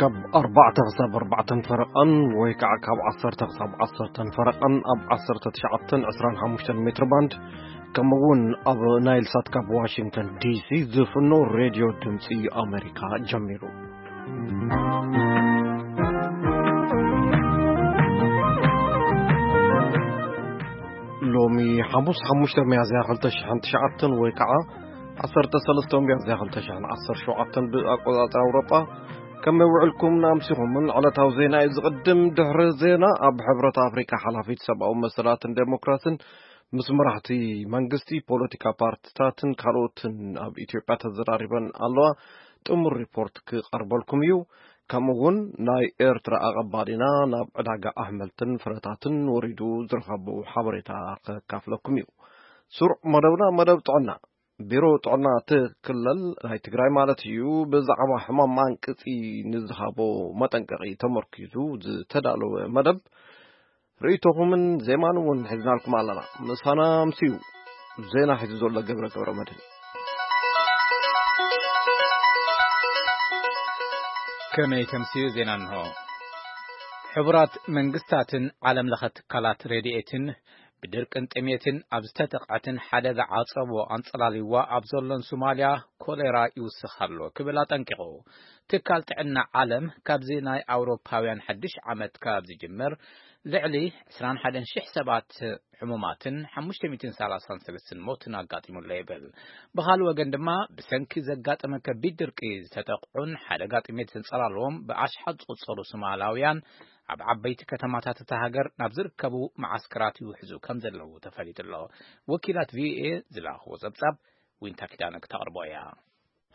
ካብ ኣርባዕተ ክሳብ ኣርባዕተን ፈረቓን ወይ ከዓ ካብ ዓሰርተ ክሳብ ዓሰርተን ፈረቓን ኣብ ዓሰርተ ትሽዓተን ዕስራን ሓሙሽተን ሜትር ባንድ፣ ከምኡ እውን ኣብ ናይል ሳት ካብ ዋሽንግተን ዲሲ ዝፍኖ ሬድዮ ድምፂ ኣሜሪካ ጀሚሩ። ሎሚ ሓሙስ ሓሙሽተ ሚያዝያ ክልተ ሽሕን ትሽዓተን ወይ ከዓ ዓሰርተ ሰለስተ ሚያዝያ ክልተ ሽሕን ዓሰርተ ሸውዓተን ብኣቆፃፅራ ኣውሮጳ፣ ከመይ ውዕልኩም ኣምሲኹምን? ዕለታዊ ዜና እዩ ዝቕድም። ድሕሪ ዜና ኣብ ሕብረት ኣፍሪካ ሓላፊት ሰብኣዊ መሰላትን ዴሞክራስን ምስ መራሕቲ መንግስቲ፣ ፖለቲካ ፓርቲታትን ካልኦትን ኣብ ኢትዮጵያ ተዘራሪበን ኣለዋ። ጥሙር ሪፖርት ክቐርበልኩም እዩ። ከምኡ እውን ናይ ኤርትራ ኣቐባሊና ናብ ዕዳጋ ኣሕምልትን ፍረታትን ወሪዱ ዝረኸቡ ሓበሬታ ከካፍለኩም እዩ። ስሩዕ መደብና መደብ ጥዕና። ቢሮ ጥዕና እቲ ክልል ናይ ትግራይ ማለት እዩ፣ ብዛዕባ ሕማም ማንቅፂ ንዝሃቦ መጠንቀቒ ተመርኪዙ ዝተዳለወ መደብ፣ ርእይቶኹምን ዜማን እውን ሒዝናልኩም ኣለና። ምሳና ኣምስዩ ዜና ሒዙ ዘሎ ገብረ ገብረ መድህን። ከመይ ተምስዩ ዜና እንሆ። ሕቡራት መንግስታትን ዓለም ለኸ ትካላት ረድኤትን ብድርቅን ጥሜትን ኣብ ዝተጠቕዐትን ሓደጋ ዓጸቦ ኣንጸላልይዋ ኣብ ዘሎን ሶማልያ ኮሌራ ይውስኽ ኣሎ ክብል ኣጠንቂቑ። ትካል ጥዕና ዓለም ካብዚ ናይ ኣውሮፓውያን ሓድሽ ዓመት ካብ ዝጅምር ልዕሊ ዕስራን ሓደን ሽሕ ሰባት ሕሙማትን ሓሙሽተ ሚእትን ሰላሳን ሰለስተን ሞትን ኣጋጢሙሎ ይብል። ብኻልእ ወገን ድማ ብሰንኪ ዘጋጠመ ከቢድ ድርቂ ዝተጠቕዑን ሓደጋ ጥሜት ዘንጸላለዎም ብኣሽሓት ዝቑጸሩ ሶማላውያን ኣብ ዓበይቲ ከተማታት እታ ሃገር ናብ ዝርከቡ መዓስከራት ይውሕዙ ከም ዘለዉ ተፈሊጡ ኣሎ። ወኪላት ቪኦኤ ዝለኣኽዎ ጸብጻብ ዊንታ ኪዳነ ክተቕርቦ እያ።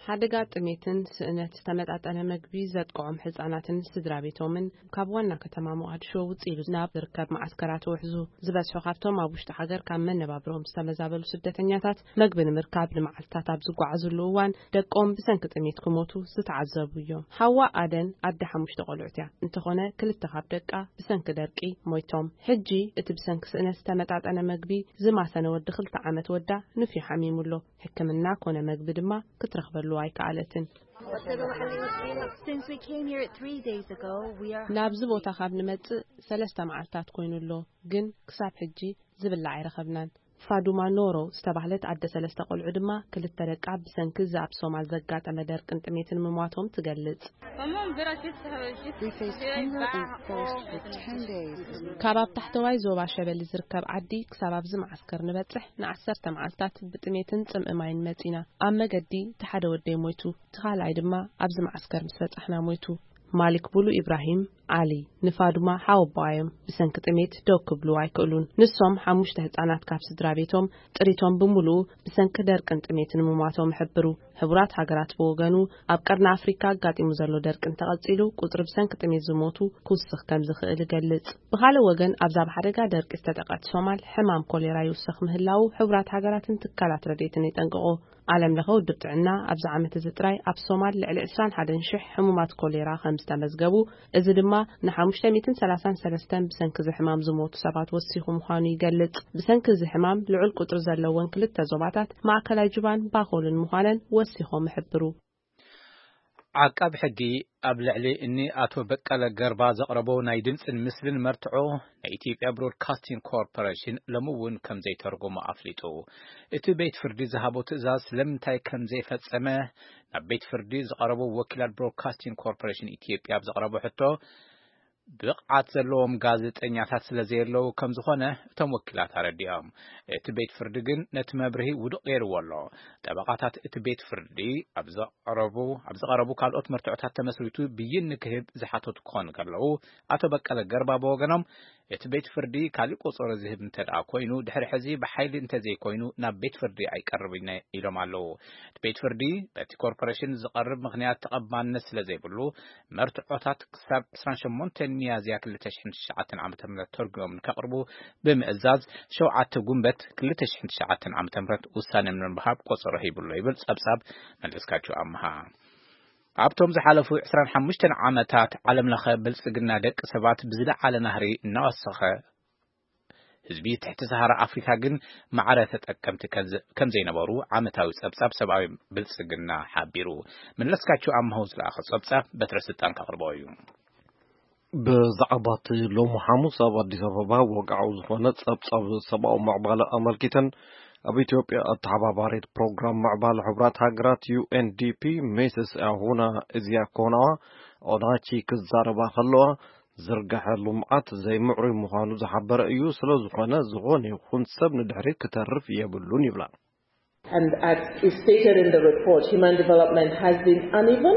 ሓደጋ ጥሜትን ስእነት ዝተመጣጠነ መግቢ ዘጥቅዖም ህጻናትን ስድራ ቤቶምን ካብ ዋና ከተማ ሞቓድሾ ውጽእ ኢሉ ናብ ዝርከብ መዓስከራት ውሕዙ። ዝበዝሑ ካብቶም ኣብ ውሽጢ ሃገር ካብ መነባብሮም ዝተመዛበሉ ስደተኛታት መግቢ ንምርካብ ንመዓልትታት ኣብ ዝጓዓዙሉ እዋን ደቆም ብሰንኪ ጥሜት ክሞቱ ዝተዓዘቡ እዮም። ሓዋ ኣደን ኣደ ሓሙሽተ ቆልዑት እያ። እንተኾነ ክልተ ካብ ደቃ ብሰንኪ ደርቂ ሞይቶም። ሕጂ እቲ ብሰንኪ ስእነት ዝተመጣጠነ መግቢ ዝማሰነ ወዲ ክልተ ዓመት ወዳ ንፍዩ ሓሚሙ ኣሎ። ሕክምና ኮነ መግቢ ድማ ክትረኽበሉ ኣይከኣለትን። Since we came here three days ago, we are ናብዚ ቦታ ካብ ንመጽእ ሰለስተ መዓልታት ኮይኑ ኣሎ፣ ግን ክሳብ ሕጂ ዝብላዕ ኣይረኸብናን። ፋዱማ ኖሮ ዝተባህለት ኣደ ሰለስተ ቆልዑ ድማ ክልተ ደቃ ብሰንኪ እዚ ኣብ ሶማል ዘጋጠመ ደርቅን ጥሜትን ምሟቶም ትገልጽ። We faced hunger and thirst for ten days. ካብ ኣብ ታሕተዋይ ዞባ ሸበሊ ዝርከብ ዓዲ ክሳብ ኣብዚ መዓስከር ንበጽሕ ንዓሰርተ መዓልታት ብጥሜትን ጽምኢ ማይን መጺና። ኣብ መገዲ እቲ ሓደ ወደይ ሞይቱ፣ እቲ ካልኣይ ድማ ኣብዚ መዓስከር ምስ በጻሕና ሞይቱ። ማሊክ ቡሉ ኢብራሂም ዓሊ ንፋዱማ ሓወቦኣ እዮም። ብሰንኪ ጥሜት ደው ክብሉ ኣይክእሉን። ንሶም ሓሙሽተ ህጻናት ካብ ስድራ ቤቶም ጥሪቶም ብምሉኡ ብሰንኪ ደርቅን ጥሜትን ምሟቶም ይሕብሩ። ሕቡራት ሃገራት ብወገኑ ኣብ ቀርኒ ኣፍሪካ ኣጋጢሙ ዘሎ ደርቂ እንተቐጺሉ ቁጽሪ ብሰንኪ ጥሜት ዝሞቱ ክውስኽ ከም ዝኽእል ይገልጽ። ብኻልእ ወገን ኣብዛ ብሓደጋ ደርቂ ዝተጠቐት ሶማል ሕማም ኮሌራ ይውስኽ ምህላዉ ሕቡራት ሃገራትን ትካላት ረድኤትን የጠንቅቑ። ዓለም ለኸ ውድብ ጥዕና ኣብዚ ዓመት እዚ ጥራይ ኣብ ሶማል ልዕሊ ዕስራን ሓደን ሽሕ ሕሙማት ኮሌራ ከም ዝተመዝገቡ፣ እዚ ድማ ንሓሙሽተ ሚእትን ሰላሳን ሰለስተን ብሰንኪ እዚ ሕማም ዝሞቱ ሰባት ወሲኹ ምዃኑ ይገልጽ። ብሰንኪ እዚ ሕማም ልዑል ቁጽሪ ዘለወን ክልተ ዞባታት ማእከላይ ጁባን ባኮልን ምዃነን ወሲኾም ይሕብሩ። ዓቃብ ሕጊ ኣብ ልዕሊ እኒ ኣቶ በቀለ ገርባ ዘቕረቦ ናይ ድምፅን ምስልን መርትዖ ናይ ኢትዮጵያ ብሮድካስቲንግ ኮርፖሬሽን ሎሚ እውን ከም ዘይተርጎሞ ኣፍሊጡ። እቲ ቤት ፍርዲ ዝሃቦ ትእዛዝ ስለምንታይ ከም ዘይፈጸመ ናብ ቤት ፍርዲ ዝቐረቡ ወኪላት ብሮድካስቲንግ ኮርፖሬሽን ኢትዮጵያ ኣብ ዘቕረቦ ሕቶ፣ ብቕዓት ዘለዎም ጋዜጠኛታት ስለ ዘየለዉ ከም ዝኾነ እቶም ወኪላት ኣረዲኦም። እቲ ቤት ፍርዲ ግን ነቲ መብርሂ ውዱቕ ገይርዎ ኣሎ። ጠበቓታት እቲ ቤት ፍርዲ ኣብ ዘቕረቡ፣ ኣብ ዝቐረቡ ካልኦት መርትዖታት ተመስሪቱ ብይን ንክህብ ዝሓተቱ ክኾኑ ከለዉ፣ ኣቶ በቀለ ገርባ ብወገኖም፣ እቲ ቤት ፍርዲ ካሊእ ቆጸሮ ዝህብ እንተ ደኣ ኮይኑ፣ ድሕሪ ሕዚ ብሓይሊ እንተ ዘይኮይኑ ናብ ቤት ፍርዲ ኣይቀርብን ኢሎም ኣለዉ። እቲ ቤት ፍርዲ በቲ ኮርፖሬሽን ዝቐርብ ምኽንያት ተቐባልነት ስለ ዘይብሉ፣ መርትዖታት ክሳብ ዕስራን ሸሞንተን ሚያዝያ ክልተ ሽሕን ትሽዓተን ዓመተ ምህረት ተርጒሞም ንከቕርቡ ብምእዛዝ፣ ሸውዓተ ጉንበት ክልተ ሽሕን ትሽዓተን ዓመተ ምህረት ውሳነ ንምሃብ ቆጸሮ ሂቡ ኣሎ ይብል ጸብጻብ መለስካቸው ኣምሃ። ኣብቶም ዝሓለፉ ዕስራን ሓሙሽተን ዓመታት ዓለም ለኸ ብልጽግና ደቂ ሰባት ብዝለዓለ ናህሪ እናወሰኸ ህዝቢ ትሕቲ ሰሃራ ኣፍሪካ ግን ማዕረ ተጠቀምቲ ከም ዘ-፣ ከም ዘይነበሩ ዓመታዊ ጸብጻብ ሰብኣዊ ብልጽግና ሓቢሩ። መለስካቸው ኣምሃው ዝለኣኸ ጸብጻብ በትረ ስልጣን ከቕርቦ እዩ። ብዛዕባ እቲ ሎሚ ሓሙስ ኣብ ኣዲስ ኣበባ ወግዓዊ ዝኾነ ጸብጻብ ሰብኣዊ ምዕባለ ኣመልኪተን ኣብ ኢትዮጵያ ኣተሓባባሪት ፕሮግራም ምዕባለ ሕቡራት ሃገራት ዩ ኤን ዲ ፒ ሚስስ ኣሁና እዚያ ኮናዋ ኦናቺ ክዛረባ ከለዋ፣ ዝርግሐ ልምዓት ዘይምዕሩይ ምዃኑ ዝሓበረ እዩ። ስለ ዝኾነ፣ ዝኾነ ይኹን ሰብ ንድሕሪት ክተርፍ የብሉን ይብላ። And as is stated in the report, human development has been uneven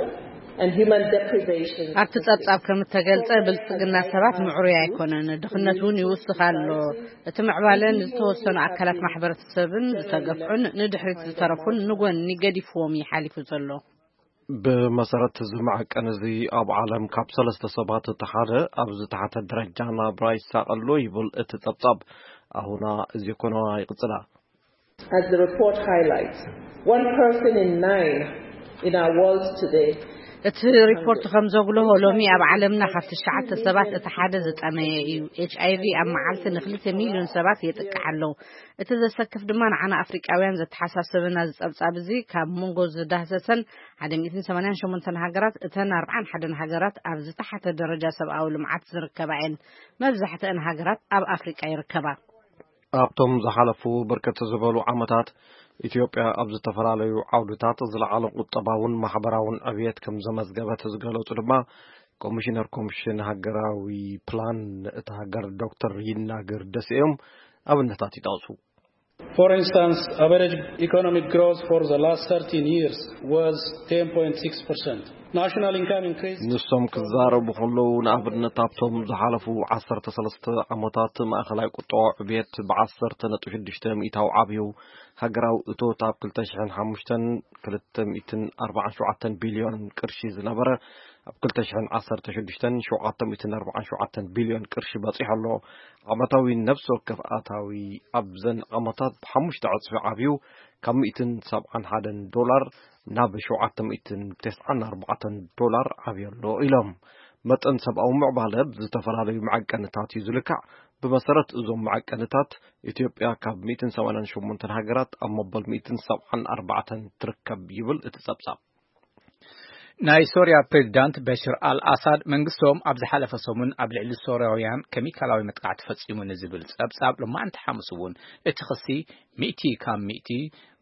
and human deprivation ኣብቲ ጸብጻብ ከም እተገልጸ፣ ብልጽግና ሰባት ምዕሩይ ኣይኮነን፣ ድኽነት እውን ይውስኽ ኣሎ። እቲ ምዕባለ ንዝተወሰኑ ኣካላት ማሕበረሰብን ዝተገፍዑን ንድሕሪት ዝተረፉን ንጎኒ ገዲፍዎም እዩ ሓሊፉ ዘሎ። ብመሰረት እዚ መዐቀኒ እዚ፣ ኣብ ዓለም ካብ ሰለስተ ሰባት እቲ ሓደ ኣብ ዝተሓተ ደረጃ ናብራ ይሳቐ ኣሎ ይብል እቲ ጸብጻብ። ኣሁና እዚ ኮነዋ ይቕጽላ። As the report highlights, one person in nine in our world today እቲ ሪፖርት ከም ዘጉልሆ፣ ሎሚ ኣብ ዓለምና ካብ ትሽዓተ ሰባት እቲ ሓደ ዝጠመየ እዩ። ኤች ኣይ ቪ ኣብ መዓልቲ ንክልተ ሚልዮን ሰባት የጥቅዕ ኣሎ። እቲ ዘሰክፍ ድማ ንዓና ኣፍሪቃውያን ዘተሓሳስበና ዝጸብጻብ እዚ ካብ መንጎ ዝዳህሰሰን ሓደ ሚእትን ሰማንያን ሸሞንተን ሃገራት፣ እተን ኣርብዓን ሓደን ሃገራት ኣብ ዝተሓተ ደረጃ ሰብኣዊ ልምዓት ዝርከባ እየን። መብዛሕትአን ሃገራት ኣብ ኣፍሪቃ ይርከባ። ኣብቶም ዝሓለፉ ብርክት ዝበሉ ዓመታት፣ ኢትዮጵያ ኣብ ዝተፈላለዩ ዓውድታት ዝለዓለ ቁጠባውን ማሕበራውን ዕብየት ከም ዘመዝገበት ዝገለጹ ድማ ኮሚሽነር ኮሚሽን ሃገራዊ ፕላን እታ ሃገር ዶክተር ይናገር ደሴ እዮም። ኣብነታት ይጠቕሱ። For instance, average economic growth for the last thirteen years was ten point six percent. National income increased ንሶም ክዛረቡ ከለዉ፣ ንኣብነት ኣብቶም ዝሓለፉ ዓሰርተ ሰለስተ ዓመታት ማእኸላይ ቁጠባዊ ዕብየት ብዓሰርተ ነጥቢ ሽዱሽተ ሚእታዊ ዓብዩ፣ ሃገራዊ እቶት ኣብ ክልተ ሽሕን ሓሙሽተን ክልተ ሚእትን ኣርባዓን ሸውዓተን ቢልዮን ቅርሺ ዝነበረ፣ ኣብ ክልተ ሽሕን ዓሰርተ ሽዱሽተን ሸውዓተ ሚእትን ኣርባዓን ሸውዓተን ቢልዮን ቅርሺ በጺሑ ኣሎ። ዓመታዊ ነፍሲ ወከፍ ኣታዊ ኣብዘን ዓመታት ብሓሙሽተ ዕጽፊ ዓብዩ፣ ካብ ሚእትን ሰብዓን ሓደን ዶላር ናብ ሸውዓተ ሚእትን ተስዓን ኣርባዕተን ዶላር ዓብዩ ኣሎ ኢሎም። መጠን ሰብኣዊ ምዕባለ ብዝተፈላለዩ መዐቀንታት እዩ ዝልካዕ። ብመሰረት እዞም መዐቀንታት፣ ኢትዮጵያ ካብ ሚእትን ሰማንያን ሸሞንተን ሃገራት ኣብ መበል ሚእትን ሰብዓን ኣርባዕተን ትርከብ ይብል እቲ ጸብጻብ። ናይ ሶርያ ፕሬዚዳንት በሽር ኣልኣሳድ፣ መንግስቶም ኣብ ዝሓለፈ ሰሙን ኣብ ልዕሊ ሶርያውያን ኬሚካላዊ መጥቃዕቲ ፈጺሙ ንዝብል ጸብጻብ፣ ሎማዕንቲ ሓሙስ እውን እቲ ክሲ ሚእቲ ካብ ሚእቲ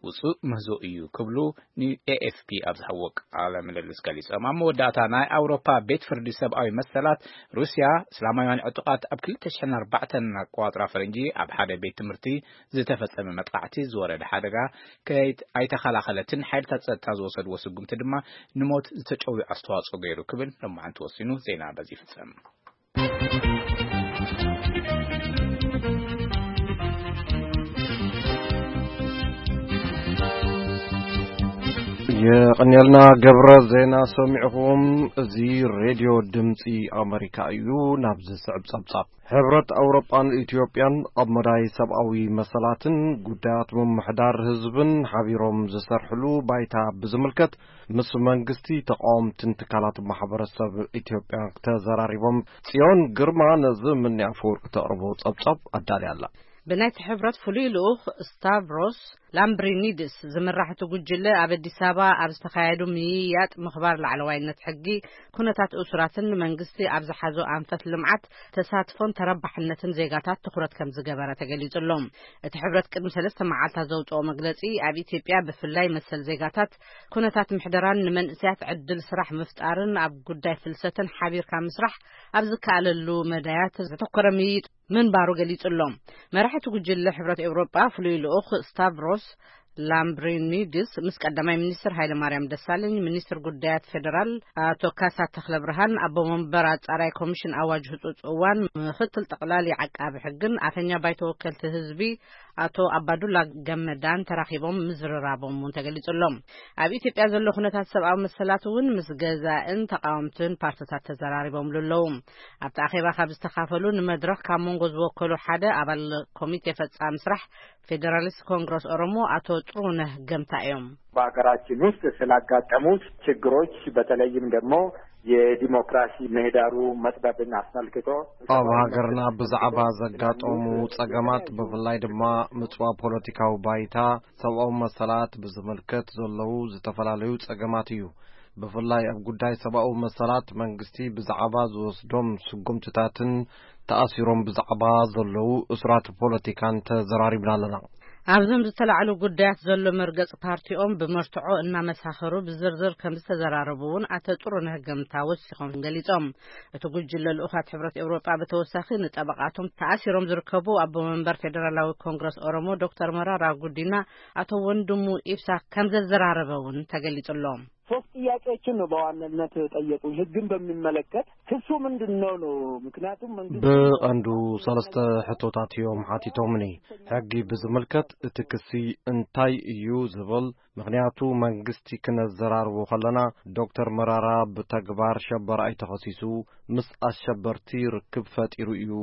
ውጹእ ምህዞ እዩ ክብሉ ን ኤ ኤፍ ፒ ኣብ ዝሃብዎ ቃለ ምልልስ ገሊጾም። ኣብ መወዳእታ፣ ናይ ኣውሮፓ ቤት ፍርዲ ሰብኣዊ መሰላት፣ ሩስያ እስላማውያን ዕጡቓት ኣብ ክልተ ሽሕን ኣርባዕተን ኣቆጻጽራ ፈረንጂ ኣብ ሓደ ቤት ትምህርቲ ዝተፈጸመ መጥቃዕቲ ዝወረደ ሓደጋ ከይት-፣ ኣይተኸላኸለትን፣ ሓይልታት ጸጥታ ዝወሰድዎ ስጉምቲ ድማ ንሞት ዝተጨውዩ ኣስተዋጽኦ ገይሩ ክብል ሎማዕንቲ ወሲኑ። ዜና በዚ ይፍጸም። የቐንየልና ገብረ፣ ዜና ሰሚዕኹም። እዚ ሬድዮ ድምፂ ኣመሪካ እዩ። ናብ ዝስዕብ ጸብጻብ። ሕብረት ኣውሮጳን ኢትዮጵያን ኣብ መዳይ ሰብኣዊ መሰላትን ጉዳያት ምምሕዳር ህዝብን ሓቢሮም ዝሰርሕሉ ባይታ ብዝምልከት ምስ መንግስቲ፣ ተቃወምትን ትካላት ማሕበረሰብ ኢትዮጵያ ተዘራሪቦም። ጽዮን ግርማ ነዚ ምንያ ኣፈወርቂ ተቕርቦ ጸብጻብ ኣዳልያ ኣላ። ብናይቲ ሕብረት ፍሉይ ልኡኽ ስታቭሮስ ላምብሪኒድስ ዝምራሕ እቲ ጉጅለ፣ ኣብ ኣዲስ ኣበባ ኣብ ዝተኻየዱ ምይይያጥ ምኽባር ላዕለዋይነት ሕጊ፣ ኩነታት እሱራትን ንመንግስቲ ኣብ ዝሓዞ ኣንፈት ልምዓት ተሳትፎን ተረባሕነትን ዜጋታት ትኹረት ከም ዝገበረ ተገሊጹ ኣሎ። እቲ ሕብረት ቅድሚ ሰለስተ መዓልታት ዘውጽኦ መግለጺ፣ ኣብ ኢትዮጵያ ብፍላይ መሰል ዜጋታት፣ ኩነታት ምሕደራን ንመንእሰያት ዕድል ስራሕ ምፍጣርን ኣብ ጉዳይ ፍልሰትን ሓቢርካ ምስራሕ ኣብ ዝከኣለሉ መዳያት ዘተኮረ ምይይጥ ምንባሩ ገሊጹ ኣሎ። መራሒ እቲ ጉጅለ ሕብረት ኤውሮጳ ፍሉይ ልኡኽ ስታቭሮስ ላምብሪኒድስ ምስ ቀዳማይ ሚኒስትር ሃይለማርያም ደሳለኝ፣ ሚኒስትር ጉዳያት ፌደራል ኣቶ ካሳ ተኽለ ብርሃን፣ ኣቦ መንበር ኣጻራይ ኮሚሽን ኣዋጅ ህጹጽ እዋን ምኽትል ጠቕላሊ ዓቃቢ ሕግን ኣፈኛ ባይቶ ወከልቲ ህዝቢ ኣቶ ኣባዱላ ገመዳን ተራኺቦም ምዝርራቦም እውን ተገሊጹ ኣሎ። ኣብ ኢትዮጵያ ዘሎ ኩነታት ሰብኣዊ መሰላት እውን ምስ ገዛእን ተቃወምትን ፓርትታት ተዘራሪቦምሉ ኣለዉ። ኣብቲ ኣኼባ ካብ ዝተኻፈሉ፣ ንመድረኽ ካብ መንጎ ዝወከሉ ሓደ ኣባል ኮሚቴ ፈጻሚ ስራሕ ፌደራሊስት ኮንግረስ ኦሮሞ ኣቶ ጥሩነህ ገምታ እዮም። በሀገራችን ውስጥ ስላጋጠሙት ችግሮች፣ በተለይም ደግሞ የዲሞክራሲ ምህዳሩ መጥበብን አስመልክቶ ኣብ ሃገርና ብዛዕባ ዘጋጠሙ ጸገማት፣ ብፍላይ ድማ ምጽዋ ፖለቲካዊ ባይታ፣ ሰብኣዊ መሰላት ብዝምልከት ዘለዉ ዝተፈላለዩ ጸገማት እዩ። ብፍላይ ኣብ ጉዳይ ሰብኣዊ መሰላት መንግስቲ ብዛዕባ ዝወስዶም ስጉምትታትን ተኣሲሮም ብዛዕባ ዘለዉ እሱራት ፖለቲካን ተዘራሪብና ኣለና። ኣብዞም ዝተላዕሉ ጉዳያት ዘሎ መርገጽ ፓርቲኦም ብመርትዖ እናመሳኸሩ ብዝርዝር ከም ዝተዘራረቡ እውን ኣቶ ጥሩነህ ገምታ ወሲኾም ገሊጾም። እቲ ጉጅለ ልኡኻት ሕብረት ኤውሮጳ ብተወሳኺ ንጠበቓቶም ተኣሲሮም ዝርከቡ ኣቦ መንበር ፌደራላዊ ኮንግረስ ኦሮሞ ዶክተር መራራ ጉዲና ኣቶ ወንድሙ ኢብሳ ከም ዘዘራረበ እውን ተገሊጹሎም። ሶስት ጥያቄዎችን ነው በዋናነት ጠየቁኝ። ህግን በሚመለከት ክሱ ምንድን ነው ነው? ምክንያቱም መንግስት ብቐንዱ ሰለስተ ሕቶታት እዮም ሓቲቶምኒ። ሕጊ ብዝምልከት እቲ ክሲ እንታይ እዩ ዝብል፣ ምኽንያቱ መንግስቲ ክነዘራርቦ ከለና ዶክተር መራራ ብተግባር ሸበራይ ተኸሲሱ ምስ ኣሸበርቲ ርክብ ፈጢሩ እዩ፣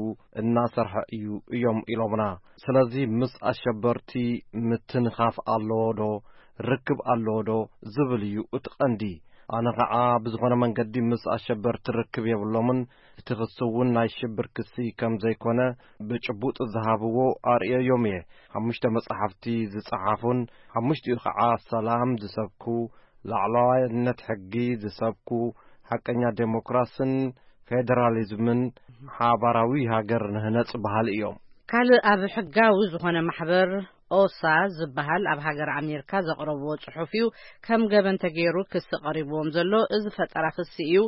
እናሰርሐ እዩ እዮም ኢሎምና። ስለዚ ምስ ኣሸበርቲ ምትንኻፍ ኣለዎ ዶ፣ ርክብ ኣለዎ ዶ ዝብል እዩ እቲ ቀንዲ። ኣነ ኸዓ ብዝኾነ መንገዲ ምስ ኣሸበርቲ ርክብ የብሎምን፣ እቲ ክሲ እውን ናይ ሽብር ክሲ ከም ዘይኮነ ብጭቡጥ ዝሃብዎ ኣርእየዮም እየ። ሓሙሽተ መጻሕፍቲ ዝጸሓፉን፣ ሓሙሽቲኡ ኸዓ ሰላም ዝሰብኩ፣ ላዕለዋይነት ሕጊ ዝሰብኩ፣ ሓቀኛ ዴሞክራስን ፌደራሊዝምን ሓባራዊ ሃገር ንህነጽ በሃሊ እዮም። ካልእ ኣብ ሕጋዊ ዝኾነ ማሕበር ኦሳ ዝበሃል ኣብ ሃገር ኣሜሪካ ዘቕረብዎ ጽሑፍ እዩ ከም ገበን ተገይሩ ክሲ ቀሪብዎም ዘሎ። እዚ ፈጠራ ክሲ እዩ።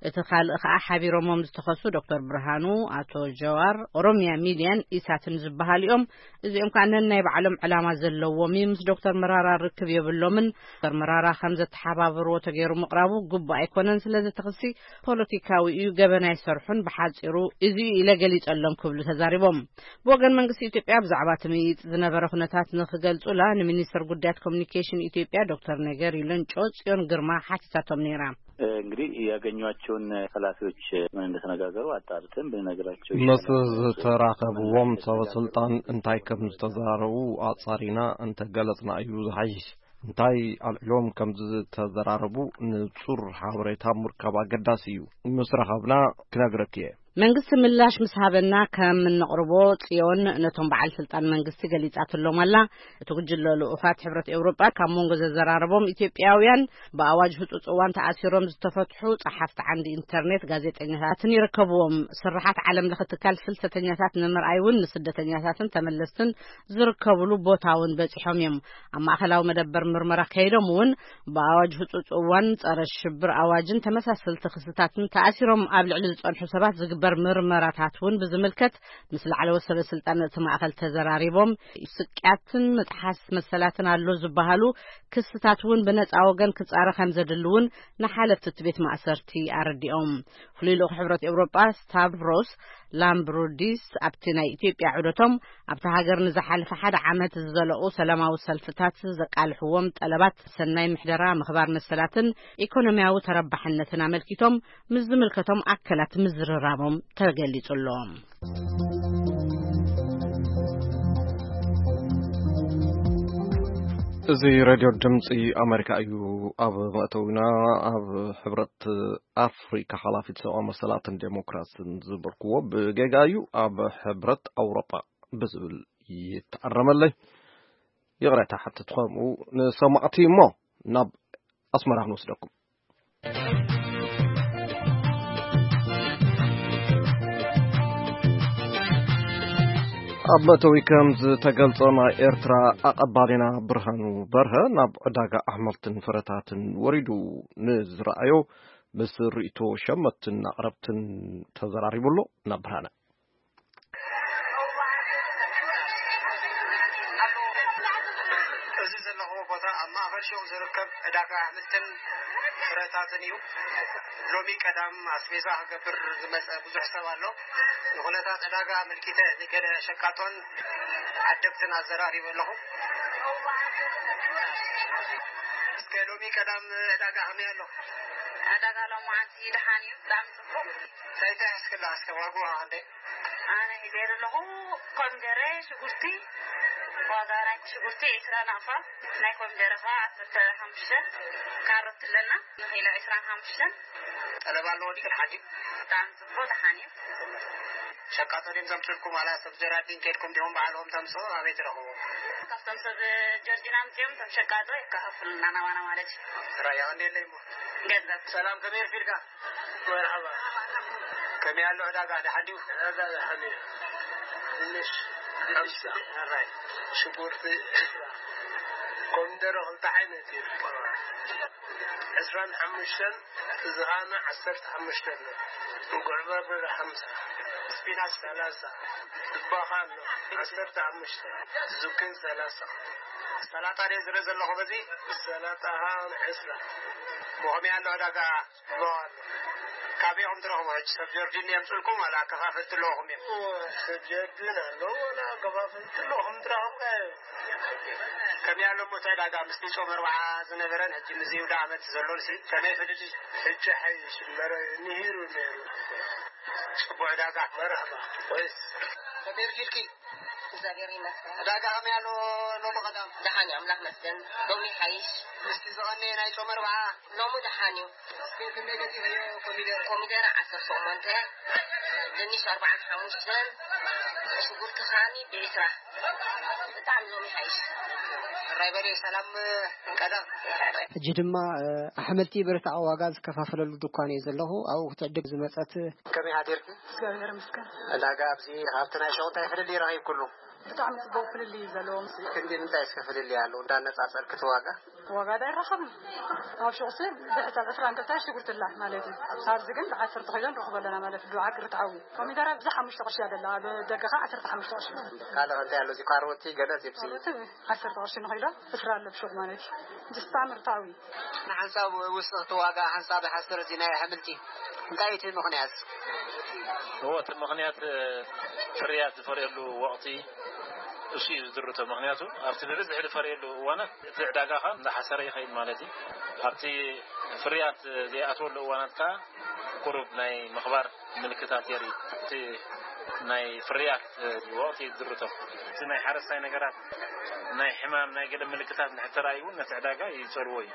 እቲ ካልእ ኸዓ ሓቢሮሞም ዝተኸሱ ዶክተር ብርሃኑ፣ ኣቶ ጀዋር፣ ኦሮሚያ ሚድያን ኢሳትን ዝበሃሉ እዮም። እዚኦም ከዓ ነናይ ባዕሎም ዕላማ ዘለዎም እዩ። ምስ ዶክተር መራራ ርክብ የብሎምን። ዶክተር መራራ ከም ዘተሓባበርዎ ተገይሩ ምቕራቡ ግቡእ ኣይኮነን። ስለዚ እቲ ክሲ ፖለቲካዊ እዩ፣ ገበን ኣይሰርሑን። ብሓጺሩ እዚ እዩ ኢለ ገሊጸሎም ክብሉ ተዛሪቦም። ብወገን መንግስቲ ኢትዮጵያ ብዛዕባ እቲ ምይይጥ ዝነበረ ኩነታት ንክገልጹላ ንሚኒስትር ጉዳያት ኮሚኒኬሽን ኢትዮጵያ ዶክተር ነገሪ ለንጮ ጽዮን ግርማ ሓቲታቶም ነይራ። እንግዲህ ያገኟቸውን ኃላፊዎች ምን እንደተነጋገሩ አጣርተን ብንነግራቸው ምስ ይሻላል። ዝተራኸብዎም ሰበ ስልጣን እንታይ ከም ዝተዘራረቡ ኣጻሪና እንተገለጽና እዩ ዝሓይሽ። እንታይ ኣልዒሎም ከም ዝተዘራረቡ ንጹር ሓበሬታ ምርካብ ኣገዳሲ እዩ። ምስ ረኸብና ክነግረኪ እየ። መንግስቲ ምላሽ ምስ ሃበና ከም እንቕርቦ ጽዮን ነቶም በዓል ስልጣን መንግስቲ ገሊጻትሎም ኣላ። እቲ ጉጅለ ልኡኻት ሕብረት ኤውሮጳ ካብ መንጎ ዘዘራረቦም ኢትዮጵያውያን ብኣዋጅ ህጹጽ እዋን ተኣሲሮም ዝተፈትሑ ጸሓፍቲ ዓንዲ ኢንተርኔት፣ ጋዜጠኛታትን ይርከብዎም። ስርሓት ዓለም ለኸ ትካል ፍልሰተኛታት ንምርኣይ እውን ንስደተኛታትን ተመለስትን ዝርከብሉ ቦታ እውን በጺሖም እዮም። ኣብ ማእከላዊ መደበር ምርመራ ከይዶም እውን ብኣዋጅ ህጹጽ እዋን ጸረ ሽብር ኣዋጅን ተመሳሰልቲ ክስታትን ተኣሲሮም ኣብ ልዕሊ ዝጸንሑ ሰባት ዝግበር ምርመራታት እውን ብዝምልከት ምስ ላዕለዎት ሰበ ስልጣን እቲ ማእከል ተዘራሪቦም። ስቅያትን ምጥሓስ መሰላትን ኣሎ ዝበሃሉ ክስታት እውን ብነጻ ወገን ክጻረ ከም ዘድሊ እውን ንሓለፍቲ እቲ ቤት ማእሰርቲ ኣረዲኦም። ፍሉይ ልኡኽ ሕብረት ኤውሮጳ ስታቭሮስ ላምብሩዲስ ኣብቲ ናይ ኢትዮጵያ ዑደቶም ኣብታ ሃገር ንዝሓለፈ ሓደ ዓመት ዝዘለቑ ሰላማዊ ሰልፍታት ዘቃልሕዎም ጠለባት ሰናይ ምሕደራ፣ ምኽባር መሰላትን ኢኮኖሚያዊ ተረባሕነትን ኣመልኪቶም ምስ ዝምልከቶም ኣካላት ምዝርራቦም ተገሊጹ ኣሎ። እዚ ሬድዮ ድምፂ ኣሜሪካ እዩ። ኣብ መእተዊና ኣብ ሕብረት ኣፍሪካ ሓላፊት ሰብኣዊ መሰላትን ዴሞክራስን ዝበልክዎ ብጌጋ እዩ። ኣብ ሕብረት ኣውሮጳ ብዝብል ይተኣረመለይ። ይቕሬታ ሓትት ከምኡ ንሰማዕቲ እሞ ናብ ኣስመራ ክንወስደኩም። ኣብ መእተዊ ከም ዝተገልጸ ናይ ኤርትራ ኣቐባሊና ብርሃኑ በርሀ ናብ ዕዳጋ ኣሕምልትን ፍረታትን ወሪዱ ንዝረኣዮ ምስ ርእይቶ ሸመትን ኣቕረብትን ተዘራሪቡ ኣሎ። ናብ ብርሃነ። እዚ ዘለኹዎ ቦታ ኣብ ማእኸል ሹቕ ዝርከብ ዕዳጋ ኣሕምልትን ፍረታትን እዩ። ሎሚ ቀዳም ኣስቤዛ ክገብር ዝመጸ ብዙሕ ሰብ ኣሎ። ንኹነታት ዕዳጋ ኣመልኪተ ንገለ ሸቃጦን ዓደግትን ኣዘራሪበ ኣለኹ። እስከ ሎሚ ቀዳም ዕዳጋ ከመይ ኣሎ? ዕዳጋ ሎማዓንቲ ደሓን እዩ፣ ብጣዕሚ ጽቡቕ። እንታይ እንታይ ሒዝክላ እስከ ዋግኡ ክንደይ? ኣነ ሒዘ ዘለኹ ኮሚደረ፣ ሽጉርቲ፣ ዋጋ ናይቲ ሽጉርቲ ዕስራ ናቕፋ፣ ናይ ኮሚደረ ኸዓ ዓሰርተ ሓሙሽተ፣ ካሮት ኣለና ንኪሎ ዕስራን ሓሙሽተን። ጠለብ ኣለዎ ድዩ? ሓዲ ብጣዕሚ ጽቡቅ ደሓን እዩ። ሸቃጦ ድዮም ዘምፅልኩም ዋላ ሰብ ጀራዲን ከድኩም ዲኹም ባዕልኹም ተምፅኡ ኣበይ ትረኽቡ? ካብቶም ሰብ ጀርዲን ኣምፅኦም እቶም ሸቃጦ የከፋፍሉና ናባና ማለት እዩ። ጥራይ ኣቐንደለይ እሞ። ገንዘብ ሰላም ከመይ ኣርፊድካ? መርሓባ። ከመይ ኣሎ ዕዳጋ ደሓን ድዩ? ዕዳጋ ደሓን እዩ። ድንሽ ድንሽ ሓምሳ። ሕራይ ሽጉርቲ ኮሚደረ ክልተ ዓይነት እዩ። ዕስራን ሓሙሽተን፣ እዚ ኸኣ ዓሰርተ ሓሙሽተ ኣሎ። እንጉዕ በርበረ ሓምሳ። ስፒናች ሰላሳ። ድባኻ ኣሎ ዓሰርተ ሓሙሽተ። ዝኩኒ ሰላሳ። ሰላጣ ድየ ዝርኢ ዘለኹ በዚ? ሰላጣ ኸኣ ዕስራ። ብኸመይ ኣሎ ዕዳጋ? ጽቡቕ ኣሎ። ካበይ ኢኹም ትረኽቡ ሕጂ? ሰብ ጀርዲን የምጽልኩም ዋላ ኣከፋፈልቲ ኣለኹም እዮም? እወ፣ ሰብ ጀርዲን ኣሎ ዋላ ኣከፋፈልቲ ኣለኹም ትረኽቡ። ከመይ ኣሎ እሞ እቲ ዕዳጋ ምስቲ ጾም ኣርብዓ ዝነበረን ሕጂ ምስዚ ውደ ዓመት ዘሎን ሲ ከመይ ፍልልይ? ሕጂ ሓይሽ እምበር ንሂሩ ነይሩ። ጽቡቕ ዕዳጋ። መርሓባ። ወይስ ከመይ ርኪልኪ? እግዚኣብሔር ይመስገን። ዕዳጋ ከመይ ኣሎ ሎሚ ቀዳም? ደሓን እዩ፣ ኣምላኽ ይመስገን። ሎሚ ይሓይሽ። ምስቲ ዝቐነየ ናይ ጾም ኣርብዓ? ሎሚ ደሓን እዩ። እስኪ ክንደይ ገዚእኽዮ ኮሚደረ? ኮሚደረ ዓሰርተ ሸሞንተ፣ ድንሽ ኣርባዓን ሓሙሽተን፣ ሽጉርቲ ከዓኒ ብዒስራ። ብጣዕሚ ዞም ይሓይሽ። ሕራይ በሬ ሰላም ቀደም። ሕጂ ድማ ኣሕምልቲ ብርታዕ ዋጋ ዝከፋፈለሉ ድኳን እየ ዘለኹ። ኣብኡ ክትዕድግ ዝመፀት። ከመይ ሓዲርኪ? እግዚኣብሔር ይመስገን። ዕዳጋ ኣብዚ ካብቲ ናይ ሸቑ እንታይ ፍልልይ ረኺብክሉ? ብጣዕሚ ፅቡቅ ፍልልይ እዩ ዘለዎ። ክንዲ ምንታይ እስከ ፍልልይ ኣለዎ እንዳነፃፀርኪ እቲ ዋጋ? ዋጋ ዳ ይረኸብን ኣብ ሸቑሲ ብሕሳብ ዕስራ እንተታይ ሽጉርትላ ማለት እዩ። ኣብዚ ግን ብዓሰርተ ኪሎ ንረኽቦ ኣለና ማለት እዩ። ዓቂ ርትዓዊ ኮሚደረ ኣብዚ ሓሙሽተ ቅርሺ እያ ዘላ፣ ኣብ ደገ ከዓ ዓሰርተ ሓሙሽተ ቅርሺ። ካልእ እንታይ ኣሎ? እዚ ካሮቲ ገለ ፂብሲ? ካሮቲ ዓሰርተ ቅርሺ ንኺሎ፣ ዕስራ ኣሎ ብሹቕ ማለት እዩ። እዚ ስታምር ታዊ። ንሓንሳብ ውስኽቲ ዋጋ ሓንሳብ ሓሰር እዚ ናይ ኣሕምልቲ እንታይ እዩ እቲ ምኽንያት? እዎ፣ እቲ ምኽንያት ፍርያት ዝፈርየሉ ወቕቲ እሱ እዩ ዝድርቶ። ምኽንያቱ ኣብቲ ብብዝሒ ዝፈርየሉ እዋናት እቲ ዕዳጋ ከዓ እንዳሓሰረ ይኸይድ ማለት እዩ። ኣብቲ ፍርያት ዘይኣትወሉ እዋናት ከዓ ቁሩብ ናይ ምኽባር ምልክታት የርኢ። እቲ ናይ ፍርያት ወቕቲ ይድርቶ። እቲ ናይ ሓረስታይ ነገራት ናይ ሕማም ናይ ገለ ምልክታት ንሕተራእዩ እውን ነቲ ዕዳጋ ይጸርዎ እዩ።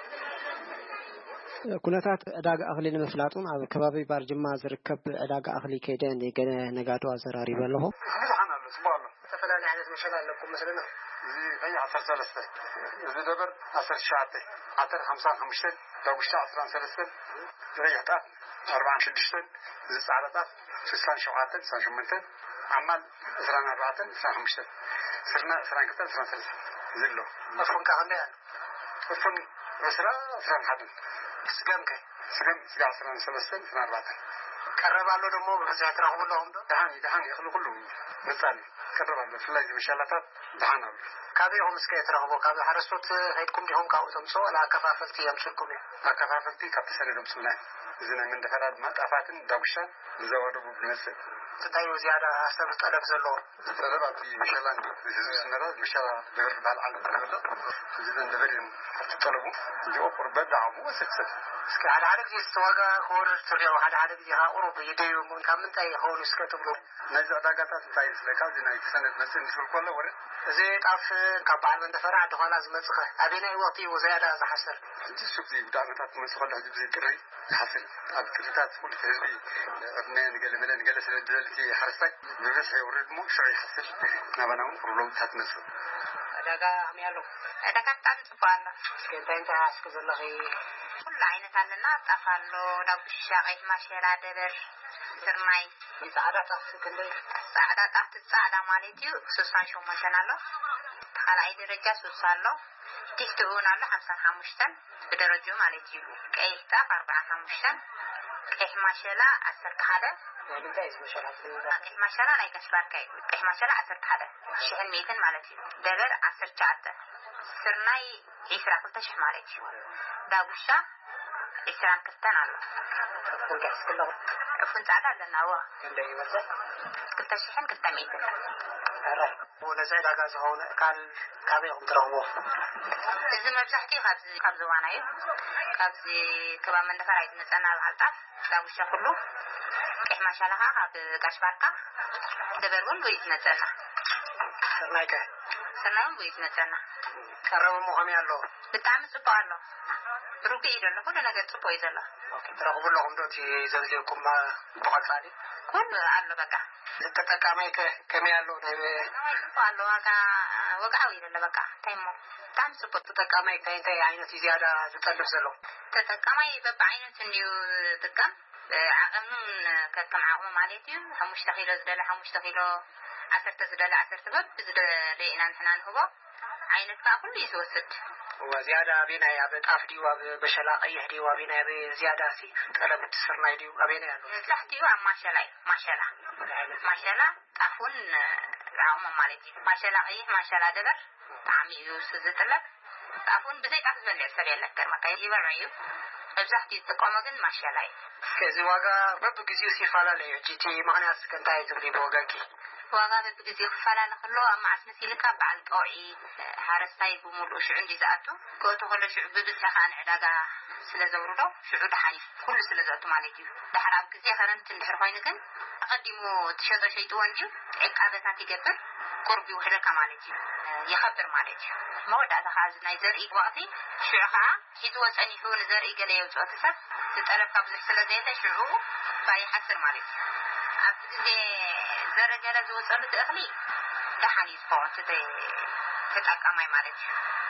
ኩነታት ዕዳጋ እኽሊ ንምፍላጥ እውን ኣብ ከባቢ ባርጅማ ዝርከብ ዕዳጋ እኽሊ ከይደ ንገለ ነጋዶ ኣዘራሪበ ኣለኹ። ብዙሓን ኣሎ፣ ጽቡቕ ኣሎ። ዝተፈላለዩ ዓይነት መሸላ ኣለኩም መስለና። እዚ ቀይሕ ዓሰርተ ሰለስተ፣ እዚ ደበር ዓሰርተ ትሽዓተ፣ ዓተር ሓምሳን ሓሙሽተን፣ ዳጉሻ ዕስራን ሰለስተን፣ ቀይሕ ጣፍ ኣርባዓን ሽዱሽተን፣ እዚ ጻዕዳ ጣፍ ስሳን ሸውዓተን፣ ስሳን ሸሞንተን፣ ዓማል ዕስራን ኣርባዕተን፣ ዕስራን ሓሙሽተን፣ ስርና ዕስራን ክልተን፣ ዕስራን ሰለስተን ዘሎ። ኣፎንካ ከመይ ኣሎ? እፉን ዕስራ፣ ዕስራን ሓደን። ስገም ከ? ስገም ስጋ ዕስራን ሰለስተን፣ ዕስራን ኣርባዕተን። ቀረብ ኣሎ ደሞ ብብዝሒ ትረኽቡ ኣለኹም ዶ? ደሓን እዩ፣ ደሓን እዩ። እኽሊ ኩሉ ምጻን እዩ። ቀረብ ኣሎ። ብፍላይ እዚ መሻላታት ደሓን ኣሎ። ካበይ ኢኹም እስከ ትረኽቡ? ካብ ሓረስቶት ከይድኩም ዲኹም ካብኡ ተምጽኡ ዋላ ኣከፋፈልቲ የምጽልኩም እዮም? ኣከፋፈልቲ ካብ ተሰነይ ዘምጽኡና እዮም። እዚ ናይ መንደፈራ ድማ ጣፋትን ዳጉሻን ብዞባ ደቡብ ዝመጽእ። እንታይ እዩ ዝያዳ ሰብ ጠለብ ዘለዎ? ጠለብ ኣብቲ መሸላ ህዝቢ ዝነበረ መሸላ ደበር ዝበሃል ዓለም ተረፈ። እዚ ዘንደበር እዮም ኣብቲ ጠለቡ። እዚኦ ቁርበት ዝዓሙ ወሰድሰድ። እስኪ ሓደ ሓደ ግዜ እቲ ዋጋ ክወርድ ትሪኦ፣ ሓደ ሓደ ግዜ ከዓ ቁሩብ ይደዩ እሞ ካብ ምንታይ ይኸውን እስከ ትብሉ? ናይዚ ዕዳጋታት እንታይ ይመስለካ? እዚ ናይ ተሰነድ መፅእ ምስ በልኩ ከሎ ወረ እዚ ጣፍ ካብ በዓል መንደፈራ ዓዲ ኳላ ዝመፅኸ ኣበየናይ ወቕቲ እዩ ዝያዳ ዝሓስር? ሕጂ እሱ ብዘይ ጉዳይ ዓመታት ክመፅእ ከሎ ሕጂ ብዘይ ጥሪ ይሓስር። ኣብ ጥሪታት ኩሉ ህዝቢ ዕድመ ንገለ መለ ንገለ ስለ ዝበልቲ ሓረስታይ ብብዝሒ የውርድ እሞ ሽዑ ይሓስር። ናባና እውን ቁሩብ ለውጥታት መፅእ። ዕዳጋ ከመይ ኣሎ? ዕዳጋ ብጣዕሚ ፅቡቅ ኣሎ። እስከ እንታይ እንታይ ሓስኪ ዘለኺ? ኩሉ ዓይነት ኣለና። ጣፍ ኣሎ፣ ዳጉሻ፣ ቀይሕ ማሸላ፣ ደበር፣ ስርናይ። ጻዕዳ ጣፍ ክንደይ? ጻዕዳ ጣፍ ጻዕዳ ማለት እዩ ስሳን ሸሞንተን ኣሎ። እቲ ካልኣይ ደረጃ ስሳ ኣሎ። ቲፍቲ እውን ኣሎ ሓምሳን ሓሙሽተን ብደረጃኡ ማለት እዩ። ቀይሕ ጣፍ ኣርባዓን ሓሙሽተን፣ ቀይሕ ማሸላ ዓሰርተ ሓደ። ናይ ምንታይ እዩ መሸላ? ቀይሕ ማሸላ ናይ ጋሽ ባርካ እዩ። ቀይሕ ማሸላ ዓሰርተ ሓደ ሽሕን ሚእትን ማለት እዩ። ደበር ዓሰርተ ትሽዓተ፣ ስርናይ ዒስራ ክልተ ሽሕ ማለት እዩ። ዳጉሻ ዒስራን ክልተን ኣሎ። ዕፉን ጻዕዳ ኣለና። እወ። ክንደይ ይበጽሕ? ክልተ ሽሕን ክልተ ሚእትን። ኧረ፣ ነዚ ዕዳጋ ዝኸውን ኣእካል ካበይ ኢኹም ትረኽብዎ? እዚ መብዛሕትኡ ካብዚ፣ ካብ ዞባና እዩ። ካብዚ ከባቢ መንደፈራ እዩ ዝመጸና በዓል ጣፍ፣ ዳጉሻ ኩሉ። ቀይሕ ማሻላ ኸዓ ካብ ጋሽ ባርካ፣ ደበር እውን እዩ ዝመጸና። ስርናይከ? ስርናይ እውን ብኢድ መጸና። ቀረብ እሞ ከመይ ኣሎ? ብጣዕሚ ጽቡቕ ኣሎ። ርጉእ እዩ ዘሎ፣ ኩሉ ነገር ጽቡቕ እዩ ዘሎ። ትረኽቡ ኣለኹም ዶ እቲ ዘድልየኩም ብቐጻሊ? ኩሉ ኣሎ በቃ። ተጠቃማይከ ከመይ ኣሎ? ናይ ተጠቃማይ ጽቡቕ ኣሎ፣ ዋጋ ወግዓዊ እዩ ዘሎ በቃ። እንታይ እሞ? ብጣዕሚ ጽቡቕ። ተጠቃማይ እንታይ እንታይ ዓይነት እዩ ዝያዳ ዝጠልብ ዘሎ? ተጠቃማይ በብዓይነቱ እንድዩ ዝጥቀም። ዓቐምን ከከም ዓቕሙ ማለት እዩ። ሓሙሽተ ኪሎ ዝደለ ሓሙሽተ ኪሎ፣ ዓሰርተ ዝደለ ዓሰርተ፣ በብዝደለዮ ኢና ንሕና ንህቦ። ዓይነት ከኣ ኩሉ እዩ ዝወስድ። እዋ፣ ዝያዳ ኣበየናይ፣ ኣብ ጣፍ ድዩ፣ ኣብ መሸላ ቀይሕ ድዩ፣ ኣበየናይ፣ ኣበይ ዝያዳ ሲ ጠለብ እቲ ስርናይ ድዩ፣ ኣበየናይ ኣሎ? መብዛሕትኡ ኣብ ማሸላ እዩ። ማሸላ፣ ማሸላ፣ ጣፍ እውን ዓቕሙ ማለት እዩ። ማሸላ ቀይሕ፣ ማሸላ ደበር ብጣዕሚ እዩ እሱ ዝጥለብ። ጣፍ እውን ብዘይ ጣፍ ዝበልዕ ሰብ የለን፣ ገርመካ ይበልዑ እዩ። መብዛሕትኡ ዝጥቀሞ ግን ማሸላ እዩ። እስከ እዚ ዋጋ በብግዜኡ ይፈላለ እዩ። ሕጂ እቲ ምኽንያት እስከ እንታይ እዩ ትብሊ ብወገንኪ? ዋጋ በብግዜኡ ክፈላለ ከሎ ኣብ መዓስ መሲልካ በዓል ጠውዒ ሓረስታይ ብምሉኡ ሽዑ እንዲ ዝኣቱ፣ ክእቱ ከሎ ሽዑ ብብዝሒ ከዓ ንዕዳጋ ስለ ዘውርዶ ሽዑ ደሓን እዩ። ኩሉ ስለ ዘእቱ ማለት እዩ። ድሕር ኣብ ግዜ ከረምቲ እንድሕር ኮይኑ ግን ኣቐዲሙ ትሸጦ ሸይጥዎ እንድዩ ዕቃበታት ይገብር፣ ቁርብ ይውሕደካ ማለት እዩ። ይኸብር ማለት እዩ። መወዳእታ ከዓ እዚ ናይ ዘርኢ ወቕቲ ሽዑ ከዓ ሒዝዎ ጸኒሑ ንዘርኢ ገለ የውጽኦ እቲ ሰብ፣ ዝጠለብካ ብዙሕ ስለ ዘየለ ሽዑ ባይ ይሓስር ማለት እዩ። ኣብዚ ግዜ ዘረ ገለ ዝወጸሉ እቲ እኽሊ ደሓን እዩ ዝኸውን፣ እቲ ተጠቃማይ ማለት እዩ።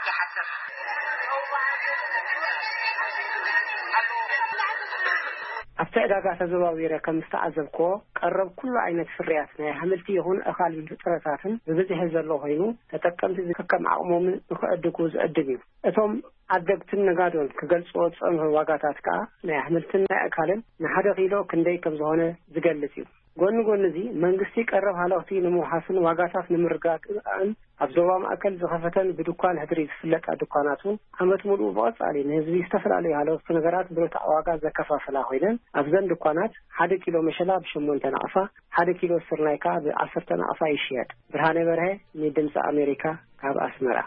ይሓስር። ኣብቲ ዕዳጋ ተዘዋዊረ ከም ዝተዓዘብክዎ፣ ቀረብ ኩሉ ዓይነት ፍርያት ናይ ኣሕምልቲ ይኹን ኣኻልቢል ፍጥረታትን ብብዝሒ ዘሎ ኮይኑ፣ ተጠቀምቲ ከከም ዓቕሞምን ንኽዕድጉ ዝዕድም እዩ። እቶም ዓደግትን ነጋዶን ክገልጽዎ ዝጸንሑ ዋጋታት ከኣ ናይ ኣሕምልትን ናይ ኣእካልን ንሓደ ኪሎ ክንደይ ከም ዝኾነ ዝገልጽ እዩ። ጎኒ ጎኒ እዚ፣ መንግስቲ ቀረብ ሃለኽቲ ንምውሓስን ዋጋታት ንምርግጋእን ኣብ ዞባ ማእከል ዝኸፈተን ብድኳን ሕድሪ ዝፍለጣ ድኳናት እውን ዓመት ሙሉእ ብቐጻሊ ንህዝቢ ዝተፈላለዩ ሃለኽቲ ነገራት ብርቱዕ ዋጋ ዘከፋፍላ ኮይነን ኣብዘን ድኳናት ሓደ ኪሎ መሸላ ብሸሞንተ ናቕፋ፣ ሓደ ኪሎ ስርናይ ከኣ ብዓሰርተ ናቕፋ ይሽየጥ። ብርሃነ በርሀ ንድምጺ ኣሜሪካ ካብ ኣስመራ።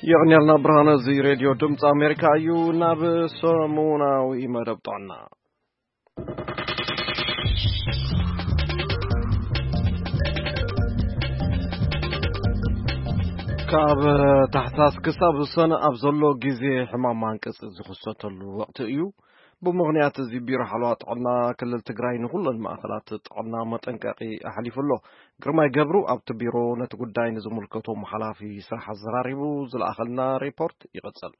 የቕንየልና ብርሃነ፣ እዚ ሬድዮ ድምፂ ኣሜሪካ እዩ። ናብ ሰሙናዊ መደብ ጥዕና። ካብ ታሕሳስ ክሳብ ሰነ ኣብ ዘሎ ግዜ ሕማም ማንቅፂ ዝኽሰተሉ ወቕቲ እዩ። ብምኽንያት እዚ ቢሮ ሓለዋ ጥዕና ክልል ትግራይ ንኹለን ማእኸላት ጥዕና መጠንቀቒ ኣሕሊፉ ኣሎ። ግርማይ ገብሩ ኣብቲ ቢሮ ነቲ ጉዳይ ንዝምልከቶም ሓላፊ ስራሕ ኣዘራሪቡ ዝለኣኸልና ሪፖርት ይቕጽል።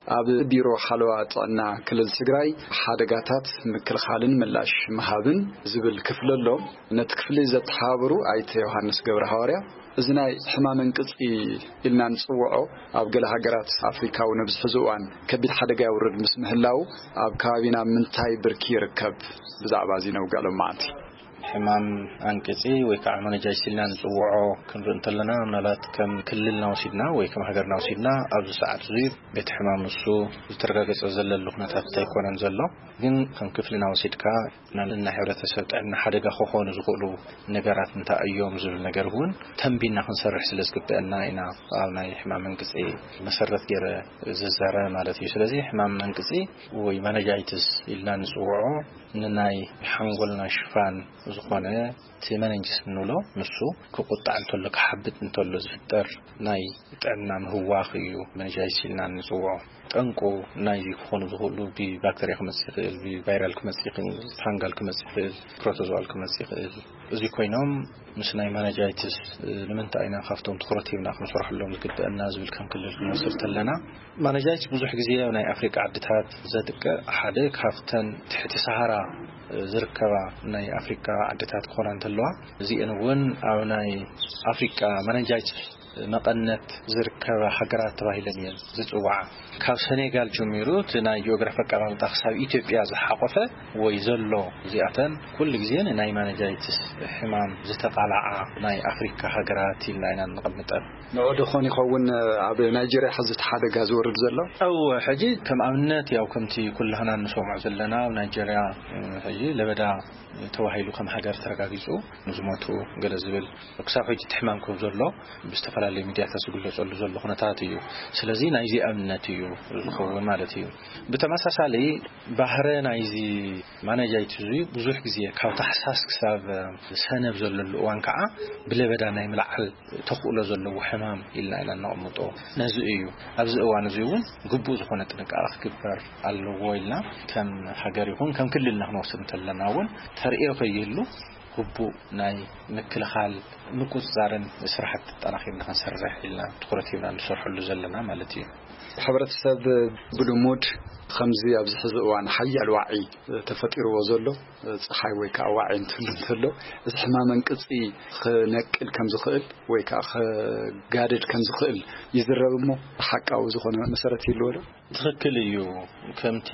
ኣብ ቢሮ ሓለዋ ጥዕና ክልል ትግራይ ሓደጋታት ምክልኻልን ምላሽ ምሃብን ዝብል ክፍሊ ኣሎ። ነቲ ክፍሊ ዘተሓባብሩ ኣይተ ዮሃንስ ገብረ ሃዋርያ፣ እዚ ናይ ሕማም እንቅፂ ኢልና ንፅውዖ ኣብ ገለ ሃገራት ኣፍሪካ እውን ኣብዚ ሕዚ እዋን ከቢድ ሓደጋ የውርድ ምስ ምህላው ኣብ ከባቢና ምንታይ ብርኪ ይርከብ? ብዛዕባ እዚ ነውግዕ ሎማዓንቲ። ሕማም ኣንቅፂ ወይ ከዓ መነጃይስ ኢልና ንፅውዖ ክንርኢ እንተለና፣ ምናልባት ከም ክልልና ወሲድና ወይ ከም ሃገርና ወሲድና ኣብዚ ሰዓት እዚ ቤት ሕማም ንሱ ዝተረጋገፀ ዘለሉ ኩነታት ኣይኮነን ዘሎ። ግን ከም ክፍልና ወሲድካ ናይ ሕብረተሰብ ጥዕና ሓደጋ ክኾኑ ዝኽእሉ ነገራት እንታይ እዮም ዝብል ነገር እውን ተንቢና ክንሰርሕ ስለ ዝግበአና ኢና ኣብ ናይ ሕማም መንቅፂ መሰረት ገይረ ዝዛረብ ማለት እዩ። ስለዚ ሕማም መንቅፂ ወይ መነጃይትስ ኢልና ንፅውዖ ንናይ ሓንጎልና ሽፋን ዝኾነ እቲ መነንጅስ እንብሎ ንሱ ክቁጣዕ እንተሎ ክሓብጥ እንተሎ ዝፍጠር ናይ ጥዕና ምህዋኽ እዩ መነጃይትስ ኢልና ንፅውዖ። ጠንቁ ናይዚ ክኾኑ ዝኽእሉ ብባክተርያ ክመፅእ ይኽእል፣ ብቫይራል ክመፅእ ይኽእል፣ ፋንጋል ክመፅእ ይኽእል፣ ፕሮቶዞዋል ክመፅእ ይኽእል። እዚ ኮይኖም ምስ ናይ ማናጃይትስ ንምንታይ ኢና ካብቶም ትኹረት ሂብና ክንሰርሐሎም ዝግበአና ዝብል ከም ክልል ክንወስድ ተለና፣ ማናጃይትስ ብዙሕ ግዜ ኣብ ናይ ኣፍሪቃ ዓድታት ዘጥቅዕ ሓደ ካብተን ትሕቲ ሰሃራ ዝርከባ ናይ ኣፍሪቃ ዓድታት ክኾና እንተለዋ፣ እዚአን እውን ኣብ ናይ ኣፍሪቃ ማናጃይትስ መቐነት ዝርከባ ሃገራት ተባሂለን እየን ዝፅዋዓ። ካብ ሰኔጋል ጀሚሩ እቲ ናይ ጂኦግራፊ ኣቀማምጣ ክሳብ ኢትዮጵያ ዝሓቆፈ ወይ ዘሎ፣ እዚኣተን ኩሉ ግዜ ንናይ ማናጃይትስ ሕማም ዝተቓልዓ ናይ ኣፍሪካ ሃገራት ኢልና ኢና ንቐምጠን። ንዑ ዶ ኾን ይኸውን ኣብ ናይጄርያ ሕዚ እቲ ሓደጋ ዝወርድ ዘሎ? እወ፣ ሕጂ ከም ኣብነት ያው ከምቲ ኩላህና ንሰምዖ ዘለና ኣብ ናይጄርያ እዚ ለበዳ ተባሂሉ ከም ሃገር ተረጋጊጹ ንዝሞቱ ገለ ዝብል ክሳብ ሕጂ እቲ ሕማም ከም ዘሎ ብዝተፈላለዩ ሚድያታት ዝግለጸሉ ዘሎ ኩነታት እዩ። ስለዚ ናይዚ ኣብነት እዩ ዝኸውን ማለት እዩ። ብተመሳሳሊ ባህረ ናይዚ ማናጃይት እዚ ብዙሕ ግዜ ካብ ታሕሳስ ክሳብ ሰነ ኣብ ዘለሉ እዋን ከዓ ብለበዳ ናይ ምልዓል ተኽእሎ ዘለዎ ሕማም ኢልና ኢና እነቕምጦ። ነዚ እዩ ኣብዚ እዋን እዚ እውን ግቡእ ዝኾነ ጥንቃቐ ክግበር ኣለዎ ኢልና ከም ሃገር ይኹን ከም ክልልና ክንወስድ እንተለና እውን ተርእዮ ከይህሉ ግቡእ ናይ ምክልኻል ምቁፅፃርን ስራሕቲ ኣጠናኺርና ክንሰርሕ ኢልና ትኹረት ሂብና ንሰርሐሉ ዘለና ማለት እዩ። ሕብረተሰብ ብልሙድ ከምዚ ኣብዚ ሕዚ እዋን ሓያል ዋዒ ተፈጢርዎ ዘሎ ፀሓይ ወይ ከዓ ዋዒ እንትህሉ እንተሎ እዚ ሕማም ኣንቅፂ ክነቅል ከም ዝኽእል ወይ ከዓ ክጋደድ ከም ዝኽእል ይዝረብ እሞ ሓቃዊ ዝኾነ መሰረት ይህልዎ ዶ? ትኽክል እዩ። ከምቲ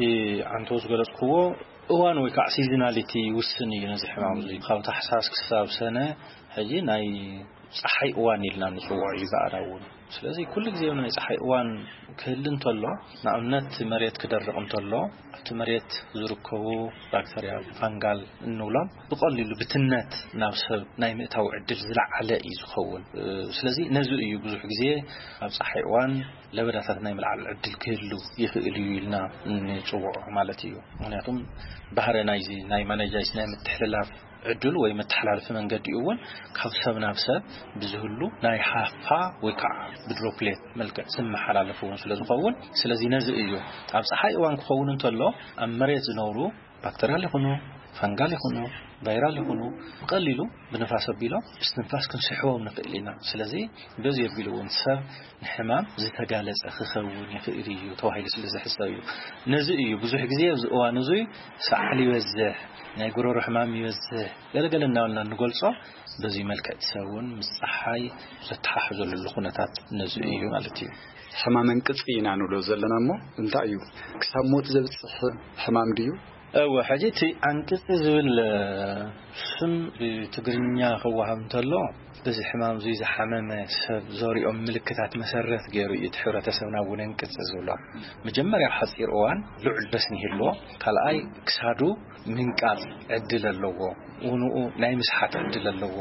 ዓንተው ዝገለፅክዎ እዋን ወይ ከዓ ሲዝናሊቲ ይውስን እዩ ነዚ ሕማም እዚ። ካብ ታሕሳስ ክሳብ ሰነ ሕጂ ናይ ፀሓይ እዋን ኢልና ንፅውዖ እዩ ብኣና እውን። ስለዚ ኩሉ ግዜ ናይ ፀሓይ እዋን ክህሊ እንተሎ፣ ንኣብነት መሬት ክደርቕ እንተሎ፣ ኣብቲ መሬት ዝርከቡ ባክተርያ ፋንጋል እንብሎም ብቐሊሉ ብትነት ናብ ሰብ ናይ ምእታው ዕድል ዝለዓለ እዩ ዝኸውን። ስለዚ ነዚ እዩ ብዙሕ ግዜ ኣብ ፀሓይ እዋን ለበዳታት ናይ ምልዓል ዕድል ክህሉ ይኽእል እዩ ኢልና ንፅውዖ ማለት እዩ። ምክንያቱም ባህረ ናይዚ ናይ ማናጃይስ ናይ ምትሕልላፍ ዕድል ወይ መተሓላለፊ መንገዲ እውን ካብ ሰብ ናብ ሰብ ብዝህሉ ናይ ሃፋ ወይ ከዓ ብድሮፕሌት መልክዕ ዝመሓላለፍ እውን ስለ ዝኸውን፣ ስለዚ ነዚ እዩ ኣብ ፀሓይ እዋን ክኸውን እንተሎ ኣብ መሬት ዝነብሩ ባክተርያል ይኹኑ ፈንጋል ይኹኑ ቫይራል ይኹኑ ብቐሊሉ ብንፋስ ኣቢሎም ብስትንፋስ ክንስሕቦም ንኽእል ኢና። ስለዚ በዚ ኣቢሉ እውን ሰብ ንሕማም ዝተጋለጸ ክኸውን ይኽእል እዩ ተባሂሉ ስለ ዝሕሰብ እዩ። ነዚ እዩ ብዙሕ ግዜ ኣብዚ እዋን እዙይ ሰዓል ይበዝሕ፣ ናይ ጉረሮ ሕማም ይበዝሕ፣ ገለገለ እናበልና እንገልጾ። በዚ መልክዕ እቲ ሰብ እውን ምስ ፀሓይ ዘተሓሕዘሉ ኩነታት ነዚ እዩ ማለት እዩ። ሕማም ኣንቅፂ ኢና ንብሎ ዘለና እሞ እንታይ እዩ? ክሳብ ሞት ዘብፅሕ ሕማም ድዩ? እወ፣ ሕጂ እቲ ኣንቅፂ ዝብል ስም ብትግርኛ ክወሃብ እንተሎ በዚ ሕማም እዚ ዝሓመመ ሰብ ዘሪኦም ምልክታት መሰረት ገይሩ እዩ እቲ ሕብረተሰብና እውን ኣንቅፂ ዝብሎ። መጀመርያ ሓፂር እዋን ልዑል ረስኒ ይህልዎ፣ ካልኣይ ክሳዱ ምንቃፅ ዕድል ኣለዎ፣ ውንኡ ናይ ምስሓት ዕድል ኣለዎ።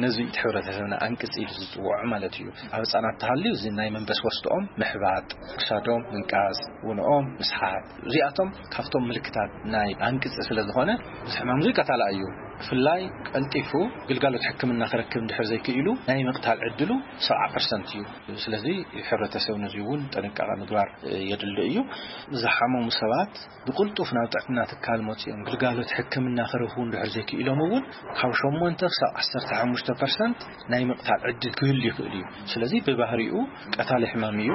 ነዚ እቲ ሕብረተሰብና ኣንቅፂ ኢሉ ዝፅውዖ ማለት እዩ። ኣብ ህፃናት ተሃልዩ እዚ ናይ መንበስ ወስድኦም ምሕባጥ፣ ክሳዶም ምንቃፅ፣ ውንኦም ምስሓት፣ እዚኣቶም ካብቶም ምልክታት ናይ ኣንቅፂ ስለ ዝኾነ እዚ ሕማም እዚ ቀታላ እዩ። ብፍላይ ቀልጢፉ ግልጋሎት ሕክምና ክረክብ እንድሕር ዘይክኢሉ ናይ ምቕታል ዕድሉ ሰብዓ ፐርሰንት እዩ። ስለዚ ሕብረተሰብ ነዚ እውን ጥንቃቐ ምግባር የድሊ እዩ። ዝሓመሙ ሰባት ብቕልጡፍ ናብ ጥዕና ትካል መፂኦም ግልጋሎት ሕክምና ክረኽቡ እንድሕር ዘይክኢሎም እውን ካብ ሸሞንተ ክሳብ ዓሰርተ ሓሙሽተ ፐርሰንት ናይ ምቕታል ዕድል ክህሉ ይኽእል እዩ። ስለዚ ብባህሪኡ ቀታሊ ሕማም እዩ።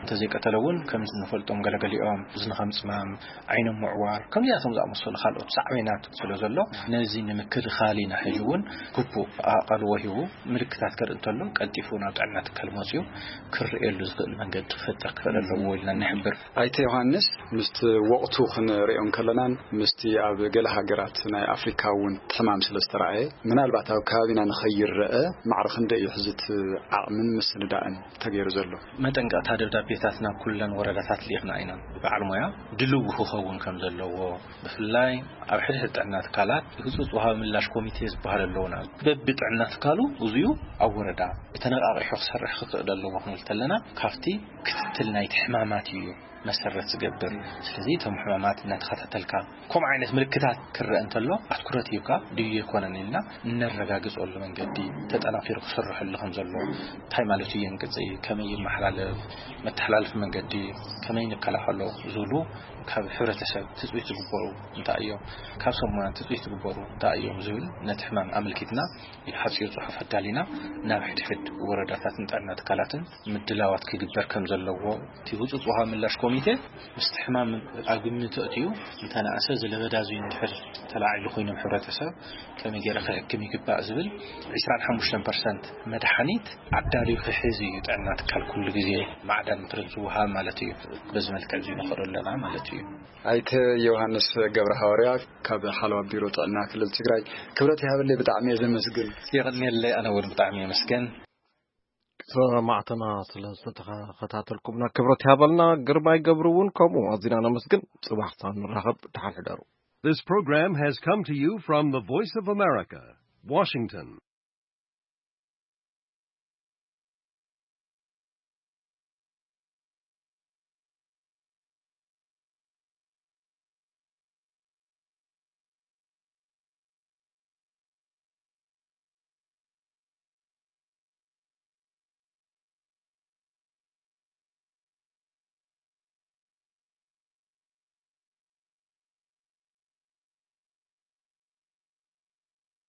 እንተዘይቀተለ እውን ከምዚ ንፈልጦም ገለገሊኦም ዝንኸም ፅማም፣ ዓይኖም ምዕዋር፣ ከምዚኣቶም ዝኣመሰሉ ካልኦት ሳዕቤናት ስለ ዘሎ ነዚ ንምክልኻል ኢና ሕጂ እውን ግቡእ ኣቓልቦ ሂቡ ምልክታት ከርኢ እንተሎ ቀልጢፉ ናብ ጥዕና ትካል መፂኡ ክርእየሉ ዝኽእል መንገዲ ክፈጥር ክኽእል ኣለዎ ኢልና ንሕብር። ኣይተ ዮሃንስ፣ ምስቲ ወቕቱ ክንሪኦ እንከለናን ምስቲ ኣብ ገለ ሃገራት ናይ ኣፍሪካ እውን ሕማም ስለ ዝተረኣየ ምናልባት ኣብ ከባቢና ንኸይረአ ማዕረ ክንደይ እዩ ሕዚ እቲ ዓቕምን ምስንዳእን ተገይሩ ዘሎ? መጠንቀቕታ ደብዳቤታት ናብ ኩለን ወረዳታት ልኢኽና ኢና። በዓል ሞያ ድልው ክኸውን ከም ዘለዎ ብፍላይ ኣብ ሕድሕድ ጥዕና ትካላት ህፁፅ ወሃቢ ምላሽ ኮሚቴ ዝበሃል ኣለውና። በቢ ጥዕና ትካሉ እዚኡ ኣብ ወረዳ ብተነቃቂሑ ክሰርሕ ክኽእል ኣለዎ ክንብል ተለና ካብቲ ክትትል ናይቲ ሕማማት እዩ መሰረት ዝገብር። ስለዚ እቶም ሕማማት እናተኸታተልካ ከምኡ ዓይነት ምልክታት ክረአ እንተሎ ኣትኩረት ሂብካ ድዩ ኣይኮነን ኢልና እነረጋግፀሉ መንገዲ ተጠናኺሩ ክስርሐሉ ከም ዘሎ፣ እንታይ ማለት እዩ የንቅፂ፣ ከመይ ይመሓላለፍ፣ መተሓላለፊ መንገዲ ከመይ ንከላኸሎ ዝብሉ ካብ ሕብረተሰብ ትፅቢት ዝግበሩ እንታይ እዮም፣ ካብ ሰብ ሞያ ትፅቢት ዝግበሩ እንታይ እዮም ዝብል ነቲ ሕማም ኣመልኪትና ሓፂር ፅሑፍ ኣዳሊና ናብ ሕድሕድ ወረዳታትን ጥዕና ትካላትን ምድላዋት ክግበር ከም ዘለዎ እቲ ህፁፅ ወሃቢ ምላሽ ኮሚቴ ምስቲ ሕማም ኣብ ግምት ኣእትዩ እንተነኣሰ እዚ ለበዳ እዚ እንድሕር ተላዒሉ ኮይኖም ሕብረተሰብ ከመይ ገይረ ክሕክም ይግባእ ዝብል ዕስራን ሓሙሽተን ፐርሰንት መድሓኒት ኣዳልዩ ክሕዝ እዩ ጥዕና ትካል ኩሉ ግዜ ማዕዳ ምክርን ዝወሃብ ማለት እዩ። በዚ መልክዕ እዚ ንኸዶ ኣለና ማለት እዩ። ኣይተ ዮሃንስ ገብረ ሃዋርያ ካብ ሓለዋ ቢሮ ጥዕና ክልል ትግራይ ክብረት ይሃበለይ ብጣዕሚ እየ ዘመስግን። የቐንየለይ ኣነ እውን ብጣዕሚ የመስገን። ሰማዕትና ስለ ዝተኸታተልኩምና ክብረት ይሃበልና። ግርማይ ገብሩ እውን ከምኡ ኣዚና ነመስግን። ፅባሕ ክሳብ ንራኸብ ደሓን ሕደሩ። This program has come to you from the Voice of America, Washington.